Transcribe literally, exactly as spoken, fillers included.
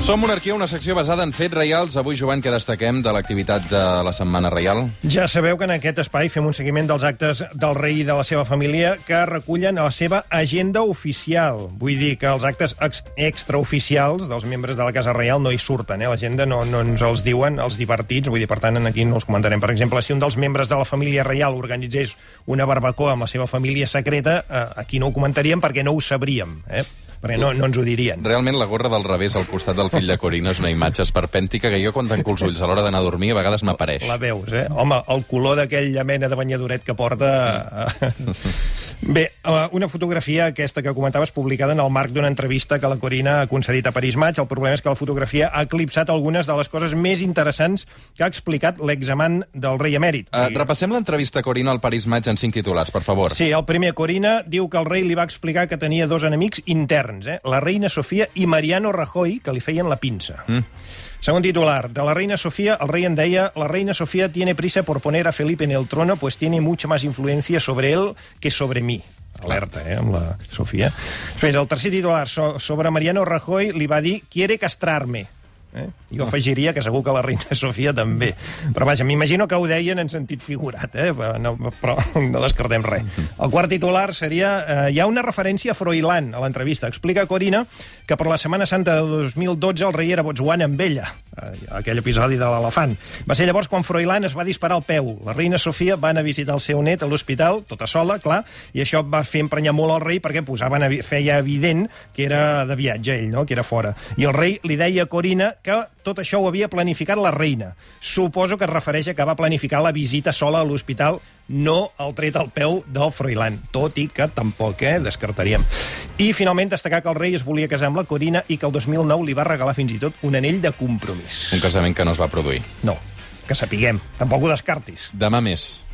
Som Monarquia, una secció basada en fets reials. Avui, Joan, què destaquem de l'activitat de la Setmana Reial? Ja sabeu que en aquest espai fem un seguiment dels actes del rei i de la seva família que recullen a la seva agenda oficial. Vull dir que els actes ex extraoficials dels membres de la Casa Reial no hi surten, eh? L'agenda no, no ens els diuen els divertits, vull dir, per tant, aquí no els comentarem. Per exemple, si un dels membres de la família reial organitzés una barbacoa amb la seva família secreta, eh, aquí no ho comentaríem perquè no ho sabríem, eh? Perquè no, no ens ho dirien. Realment, la gorra del revés al costat del fill de Corina és una imatge esperpèntica que jo, quan tanco els ulls a l'hora d'anar a dormir, a vegades m'apareix. La veus, eh? Home, el color d'aquella mena de banyadoret que porta... Bé, una fotografia, aquesta que comentaves, publicada en el marc d'una entrevista que la Corina ha concedit a Paris Match. El problema és que la fotografia ha eclipsat algunes de les coses més interessants que ha explicat l'examant del rei emèrit. Uh, repassem l'entrevista a Corina al Paris Match en cinc titulars, per favor. Sí, el primer, Corina diu que el rei li va explicar que tenia dos enemics interns, eh? La reina Sofia i Mariano Rajoy, que li feien la pinça. Mm. Segon titular, de la reina Sofía, el rey en deia: la reina Sofía tiene prisa por poner a Felipe en el trono, pues tiene mucha más influencia sobre él que sobre mí. Alerta, eh, amb la Sofia. Després, el tercer titular, so, sobre Mariano Rajoy, li va dir: quiere castrarme. Eh? Jo afegiria que segur que la reina Sofia també. Però vaja, m'imagino que ho deien en sentit figurat, eh? no, però no descartem res. El quart titular seria... Eh, hi ha una referència a Froilán a l'entrevista. Explica Corina que per la Setmana Santa de dos mil dotze el rei era a Botswana amb ella, eh, aquell episodi de l'elefant. Va ser llavors quan Froilán es va disparar al peu. La reina Sofia va anar a visitar el seu net a l'hospital, tota sola, clar, i això va fer emprenyar molt al rei perquè posaven, feia evident que era de viatge ell, no? Que era fora. I el rei li deia a Corina que tot això ho havia planificat la reina. Suposo que es refereix a que va planificar la visita sola a l'hospital, no el tret al peu del Froilán, tot i que tampoc, eh, descartaríem. I finalment destacar que el rei es volia casar amb la Corina i que el dos mil nou li va regalar fins i tot un anell de compromís. Un casament que no es va produir. No, que sapiguem. Tampoc ho descartis. Demà més.